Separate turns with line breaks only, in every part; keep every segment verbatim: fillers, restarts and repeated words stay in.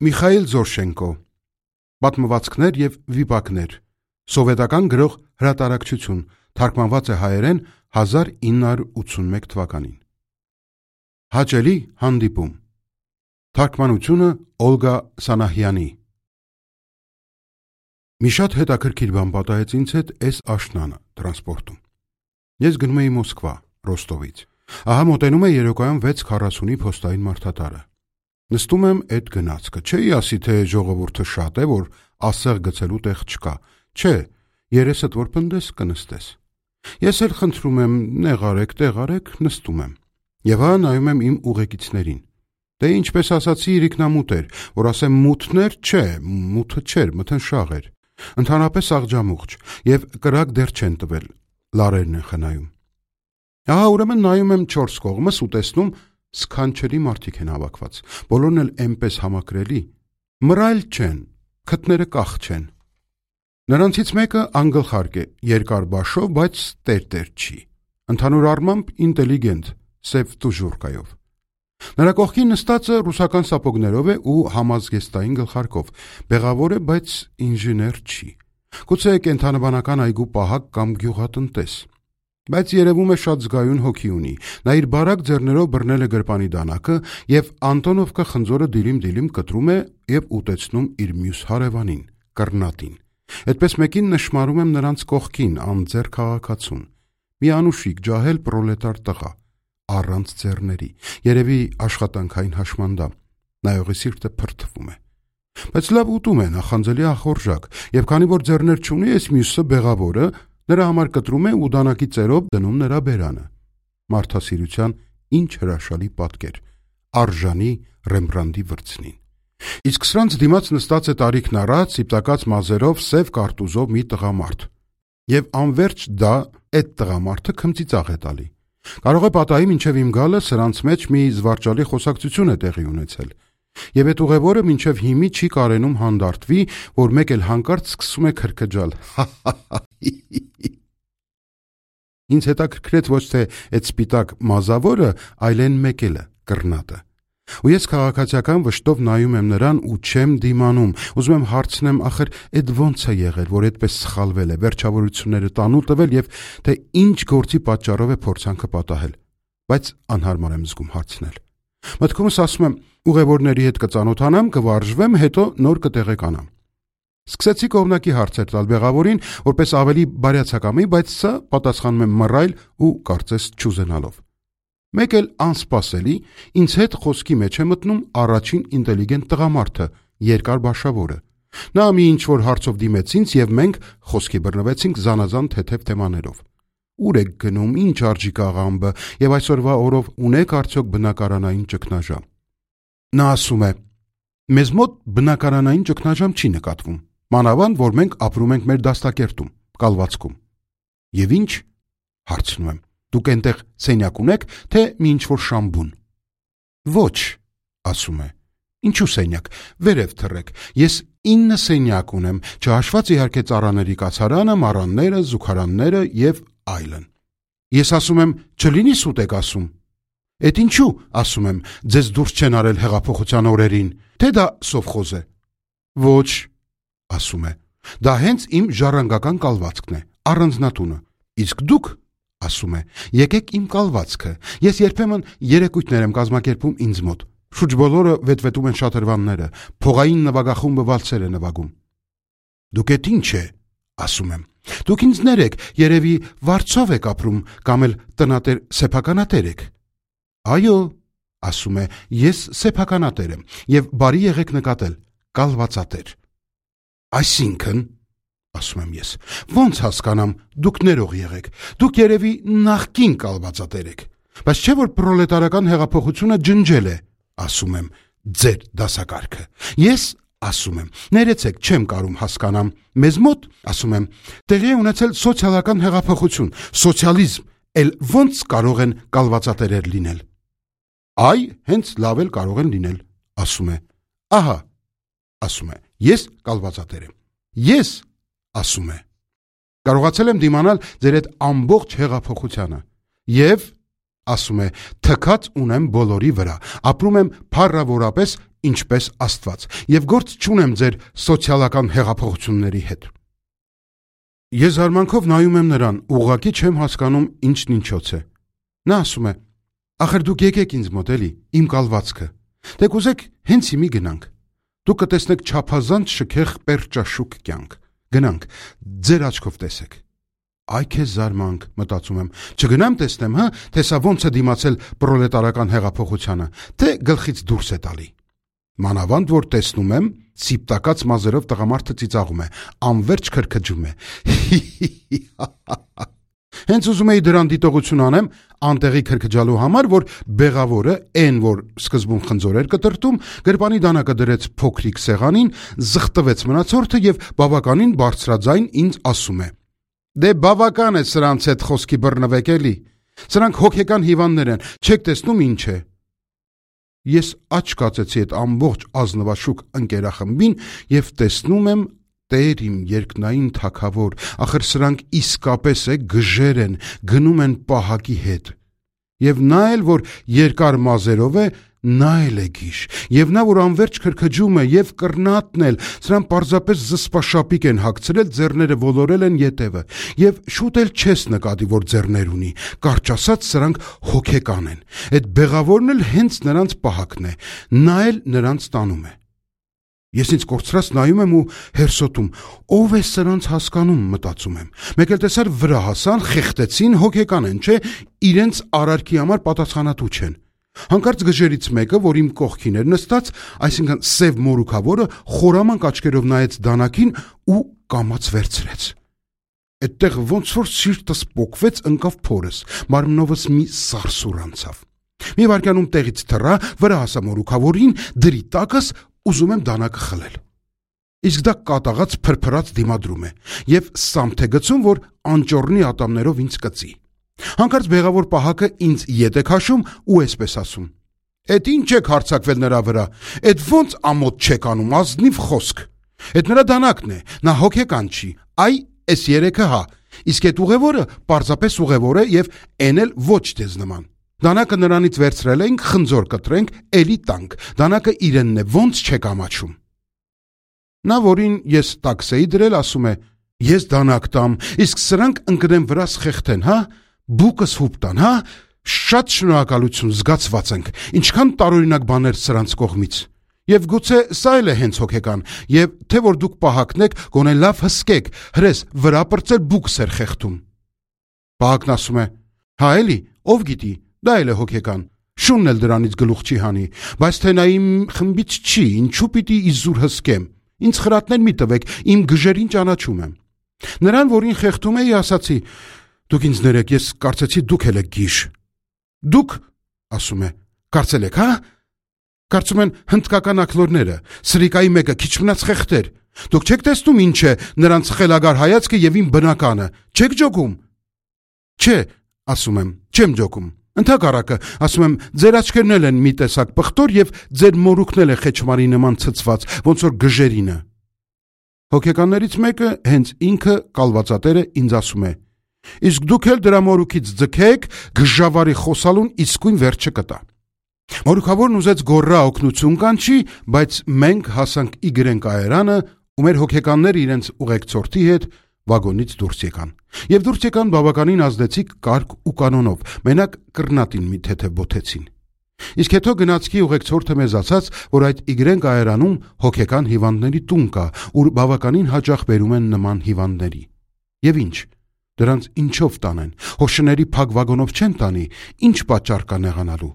Միխայիլ Զորշենկո Պատմվածքներ և վիպակներ Սովետական գրող հրատարակչություն Թարգմանված է հայերեն հազար ինը հարյուր ութսունմեկ թվականին Հաճելի հանդիպում Թարգմանությունը Օլգա Սանահյանի Մի շատ հետաքրքիր բան պատահեց ինձ հետ էս աշնանը տրանսպորտում Ես գնում էի Մոսկվա, Ռոստովից Ահա մոտենում է երեկոյան վեց քառասունի փոստային մարդատարը Նստում եմ այդ գնացքը, չէի ասի, թե ժողովուրդը շատ է, որ ասեղ գցելու տեղ չկա, չէ, երեսդ որ պնդես կնստես։ Ես էլ խնդրում եմ, նեղարեք, տեղարեք, նստում եմ։ Եվ հա նայում եմ իմ ուղեկիցներին։ Դե ինչպես ասացի, իրիկնամուտ էր, որ ասեմ մութներ, չէ, մութը չէր, մթնշաղ էր։ Ընդհանրապես աղջամուղջ, եւ կրակ դեռ չեն տվել, լարերն են խնայում։ Ահա ուրեմն նայում եմ չորս կողմս ու տեսնում Սքանչելի մարդիկ են հավաքված, բոլորն էլ էնպես համակրելի, մռայլ չեն, քթները կախ չեն։ Նրանցից մեկը անգլխարկ է, երկար բաշով, բայց տերտեր չի, ընդհանուր առմամբ ինտելիգենտ, սև տուժուրկայով։ Նրա կողքին նստածը ռուսական սապոգներով է ու համազգեստային գլխարկով, բեղավոր է, բայց ինժեներ չի, գուցե կենդանաբանական այգու պահակ կամ գյուղատնտես։ Բայց երևում է շատ զգայուն հոգի ունի, նա իր բարակ ձեռներով բռնել է գրպանի դանակը և Անտոնովկա խնձորը դիլիմ-դիլիմ կտրում է և ուտեցնում իր մյուս հարևանին, կռնատին։ Այդպես մեկին նշմարում եմ նրանց կողքին, անձեռ քաղաքացուն, մի անուշիկ ջահել պրոլետար տղա, առանց ձեռների, երևի աշխատանքային հաշմանդամ, նայողի սիրտը փրթվում է։ Բայց լավ ուտում է, նախանձելի ախորժակ, և քանի որ ձեռներ չունի, այս մյուսը բեղավորը Նրա համար կտրում է ու դանակի ծերով դնում նրա բերանը։ Մարդասիրության ինչ հրաշալի պատկեր, արժանի Ռեմբրանդի վրձնին։ Իսկ սրանց դիմաց նստած է տարիքն առած, սիպտակած մազերով, սև կարտուզով մի տղամարդ։ Եվ անվերջ դա, այդ տղամարդը քմծիծաղ է տալի։ Կարող է պատահի մինչև իմ գալը սրանց մեջ մի զվարճալի խոսակցություն է տեղի ունեցել։ Եվ այդ ուղևորը մինչև հիմի չի կարենում հանդարտվի, որ մեկ էլ հանկարծ սկսում է քրքջալ։ Ինձ հետաքրքրեց ոչ թե այդ սպիտակ մազավորը, այլ այն մեկելը, կռնատը։ Ու ես քաղաքացիական վշտով նայում եմ նրան ու չեմ դիմանում, ուզում եմ հարցնեմ, ախր այդ ո՞նց է եղել, որ այդպես սխալվել է, վերջավորությունները տանուլ տվել եւ թե ինչ գործի պատճառով է փորձանքը պատահել, բայց անհարմար եմ զգում հարցնել։ Մտքումս ասում եմ, ուղևորների հետ կծանոթանամ, կվարժվեմ, հետո նոր կտեղեկանամ։ Սկսեցի կողմնակի հարցեր տալ բեղավորին, որպես ավելի բարյացակամի, բայց սա պատասխանում եմ մռայլ ու կարծես չուզենալով։ Մեկ էլ անսպասելի ինձ հետ խոսքի մեջ է մտնում առաջին ինտելիգենտ տղամարդը, երկար բաշավորը։ Նա մի ինչ-որ հարցով դիմեց ինձ և մենք խոսքի բռնվեցինք զանազան թեթև թեմաներով։ Ուր եք գնում, ինչ արժի կաղամբը և այսօրվա օրով ունեք արդյոք բնակարանային ճգնաժամ։ Նա ասում է. մեզ մոտ բնակարանային ճգնաժամ չի նկատվում, մանավանդ, որ մենք ապրում ենք մեր դաստակերտում, կալվածքում։ Եվ ինչ, հարցնում եմ, դուք այնտեղ սենյակ ունեք, թե մի ինչ-որ շամբուն։ Ոչ, ասում է, ինչու սենյակ, վերև թռեք, ես ինը սենյակ ունեմ, չհաշված իհարկե ծառաների կացարանը, մառանները, զուգարանները և այլն։ Ես ասում եմ, չլինի սուտ եք ասում։ Էդ ինչու, ասում եմ, ձեզ դուրս չեն արել հեղափոխության օրերին, թե դա սովխոզ է։ Ոչ, ասում է, դա հենց իմ ժառանգական կալվածքն է, առանձնատունը, իսկ դուք, ասում է, եկեք իմ կալվածքը, ես երբեմն երեկույթներ եմ կազմակերպում ինձ մոտ, շուրջ բոլորը վետվետում են շատրվանները, փողային նվագախումբը վալսեր է նվագում։ Դուք էդ ինչ է, ասում եմ, դուք ինձ ներեք, երևի վարձով եք ապրում, կամ էլ տնատեր սեփականատեր եք։ Այո, ասում է, ես սեփականատեր եմ և բարի եղեք նկատել, կալվածատեր։ Այսինքն, ասում եմ ես, ոնց հասկանամ, դուք ներող եղեք, դուք երևի նախկին կալվածատեր եք, բայց չէ որ պրոլետարական հեղափոխությունը ջնջել է, ասում եմ, ձեր դասակարգը։ Ես, ասում եմ, ներեցեք, չեմ կարում հասկանամ, մեզ մոտ, ասում եմ, տեղի է ունեցել սոցիալական հեղափոխություն, սոցիալիզմ, էլ ոնց կարող են կալվածատերեր լինել։ Այ, հենց լավ էլ կարող են լինել, ասում է, ահա, ասում է, ես կալվածատեր եմ, ես, ասում է, կարողացել եմ դիմանալ ձեր այդ ամբողջ հեղափոխությանը, և, ասում է, թքած ունեմ բոլորի վրա, ապրում եմ փառավորապես ինչպես Աստված եւ գործ չունեմ ձեր սոցիալական հեղափոխությունների հետ։ Ես զարմանքով նայում եմ նրան, ուղղակի չեմ հասկանում ինչն ինչոց է։ Նա ասում է. «Ախր դուք եկեք ինձ մոտ էլի, իմ կալվածքը։ Դե կուզեք հենց հիմի գնանք։ Դուք կտեսնեք չափազանց շքեղ պերճաշուք կյանք։ Գնանք, ձեր աչքով տեսեք»։ Այ քեզ զարմանք, մտածում եմ, չգնամ տեսնեմ, հա, թե սա ոնց է դիմացել պրոլետարական հեղափոխությանը, թե գլխից դուրս է տալի։ Մանավանդ որ տեսնում եմ, սիպտակած մազերով տղամարդը ծիծաղում է, անverջ քրքջում է։ Հենց ուզում էի դրան դիտողություն անեմ, անտեղի քրքջալու համար, որ բեղավորը, այն որ սկզբում խնձոր էր կտրտում, գրպանի դանակը դրեց փոքրիկ սեղանին, զղտվեց մնացորդը եւ բավականին բարձրաձայն ինձ ասում է. «Դե բավական է սրանց հետ խոսքի բռնվեք էլի, սրանք հոգեկան հիվանդներ են, չեք տեսնում ինչ է»։ Ես աչք կացեցի այդ ամբողջ ազնվաշուկ ընկերախմբին եւ տեսնում եմ Տեր իմ երկնային թագավոր, ախր սրանք իսկապես է գժեր են, գնում են պահակի հետ։ Եվ նա էլ որ երկար մազերով է, նա էլ է գիշ, եւ նա որ անverջ քրքջում է եւ կռնատն էլ, սրան պարզապես զսպաշապիկ են հագցրել, ձեռները ոլորել են ետևը, եւ շուտ էլ չես նկատի, որ ձեռներ ունի, կարճ ասած սրանք հոգեկան են, այդ բեղավորն էլ հենց նրանց պահակն է, նա էլ նրանց տանում է։ Ես ինձ կորցրած նայում եմ ու հերսոտում, ով է սրանց հասկանում, մտածում եմ, մեկ էլ տեսար վրա հասան, խեղտեցին, հոգեկան են, չէ, իրենց արարքի համար պատասխանատու չեն։ Հանկարծ գժերից մեկը, որ իմ կողքին էր նստած, այսինքն սև մորուքավորը, խորամանկ աչքերով նայեց դանակին ու կամաց վերցրեց։ Այդտեղ ոնց որ սիրտս պոկվեց, ընկավ փորս, մարմնովս մի սարսուր անցավ։ Մի վայրկյանում տեղից թռա, վրա հասա մորուքավորին, դրի տակս, ուզում եմ դանակը խլել։ Իսկ դա կատաղած փրփրած դիմադրում է եւ սամթ է գցում, որ անճոռնի ատամներով ինձ կծի։ Հանկարծ բեղավոր պահակը ինձ ետ է քաշում ու այսպես ասում. «Էդ ինչ եք հարցակվել նրա վրա, էդ ոնց ամոթ չեք անում, ազնիվ խոսք։ Էդ նրա դանակն է, նա հոգեկան չի, այ էս երեքը հա, իսկ այդ ուղևորը պարզապես ուղևոր է եւ էն էլ ոչ դեզ նման։ Դանակը նրանից վերցրել ենք, խնձոր կտրենք, էլի տանք, դանակը իրենն է, ոնց չեք ամաչում»։ Նա, որին ես տաքս էի դրել, ասում է. «Ես դանակ տամ, իսկ սրանք ընկնեն վրաս խեղթեն, հա, բուկս հուպ տան, հա, շատ շնորհակալություն, զգացված ենք, ինչքան տարօրինակ բաներ սրանց կողմից։ Եվ գուցե սա էլ է հենց հոգեկան, եւ թե որ դուք պահակն եք, գոնե լավ հսկեք, հրես վրա պրծել բուկս էր խեղթում»։ Պահակն ասում է. «Հա էլի, ով գիտի, դա էլ է հոգեկան, շունն էլ դրանից գլուխ չի հանի, բայց թե նա իմ խմբից չի, ինչու պիտի իզուր հսկեմ, ինձ խրատներ մի տվեք, իմ գժերին ճանաչում եմ»։ Նրան, որին խեղթում էի, ասացի. «Դուք ինձ ներեք, ես կարծեցի դուք էլ եք գիշ»։ «Դուք», ասում է, «կարծել եք, հա»։ Կարծում են հնդկական ակլորները, սրիկայի մեկը քիչ մնաց խեղտեր։ Դուք չեք տեսնում ինչ է նրանց խելագար հայացքը եւ իմ բնականը, չեք ջոգում։ Չէ, ասում եմ, չեմ ջոգում։ Ընդհակառակը, ասում եմ, ձեր աչքերն էլ են մի տեսակ պղտոր եւ ձեր մորուքն էլ է խեչմարի նման ցցված, ոնց որ գժերինը։ Հոգեկաններից մեկը, հենց ինքը կալվածատերը ինձ ասում է. «Իսկ դուք էլ դրա մորուքից ձգեք, գժավարի խոսալուն իսկույն վերջը կտա»։ Մորուքավորն ուզեց գոռա օգնություն կանչի, բայց մենք հասանք Իգրեն կայարանը, ու մեր հոգեկանները իրենց ուղեկցորդի հետ վագոնից դուրս եկան։ Եվ դուրս եկան բավականին ազդեցիկ կարգ ու կանոնով, մենակ կռնատին մի թեթև բոթեցին։ Իսկ հետո գնացքի ուղեկցորդը մեզ ասաց, որ այդ Իգրեն կայարանում հոգեկան հիվանդների տուն կա, ուր բավականին հաճախ բերում են նման հիվանդների։ Եվ ինչ, դրանց ինչով տանեն, հոշների փակ վագոնով չեն տանի, ինչ պատճառ կա նեղանալու։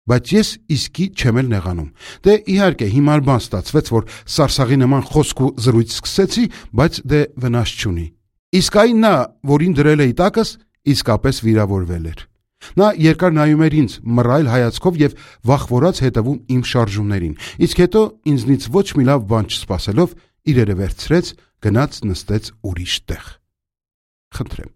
Բայց ես իսկի չեմ էլ նեղանում։ Դե իհարկե հիմար բան ստացվեց, որ սարսաղի նման խոսք ու զրույց սկսեցի, բայց դե վնաս չունի։ Իսկ այն նա, որին դրել էի տակս, իսկապես վիրավորվել էր։ Նա երկար նայում էր ինձ մռայլ հայացքով եւ վախվորած հետևում իմ շարժումներին, իսկ հետո ինձնից ոչ մի լավ բան չսպասելով իրերը վերցրեց, գնաց նստեց ուրիշ տեղ։ Խնդրեմ,